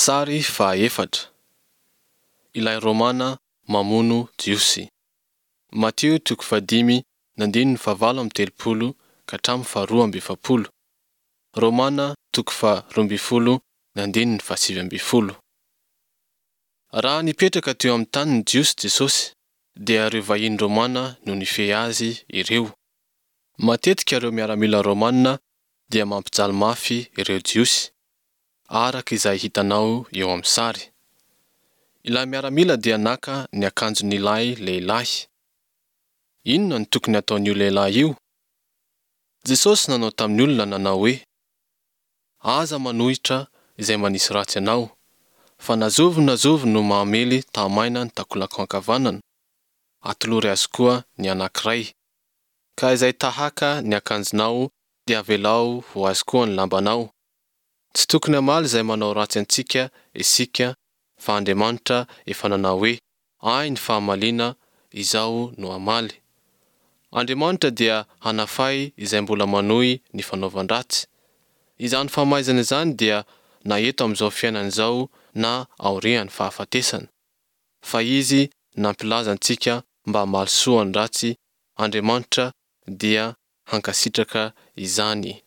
Sary fahaefatra. Ilay Romana mamono Jiosy. Matio toko fahadimy ny andininy fahavalo amby telopolo ka hatramin'ny faharoa amby efapolo. Romana toko faha-12 ny andininy faha-19. Raha nipetraka teo amin'ny tanin'ny Jiosy Jesosy, dia ireo vahiny Romana no nifehy azy ireo. Matetika ireo miaramila Romana dia mampijaly mafy ireo Jiosy, araka izay hitanao eo amin'ny sary. Ilay miaramila dia naka ny akanjon'ilay lehilahy. Inona no tokony hataon'io lehilahy io? Jesosy nanao tamin'ny olona nanao hoe, Aza manohitra izay manisy ratsy anao, fa na zovy na zovy no mahamely tahamaina ny takolakao ankavanana, atolory azy koa ny anankiray. Ka izay tahaka ny akanjonao dia avelao ho azy koa ny lambanao. Tsy tokony hamaly izay manao ratsy antsika isika fa Andriamanitra efa nanao hoe ahy ny fahamaliana, izaho no hamaly. Andriamanitra dia hanafay izay mbola manohy ny fanaovan-dratsy. Izany famaizana izany dia na eto amin'izao fiainana izao na aorian'ny fahafatesana. Fa Izy nampilaza antsika mba hamaly soa ny ratsy, Andriamanitra dia hankasitraka izany.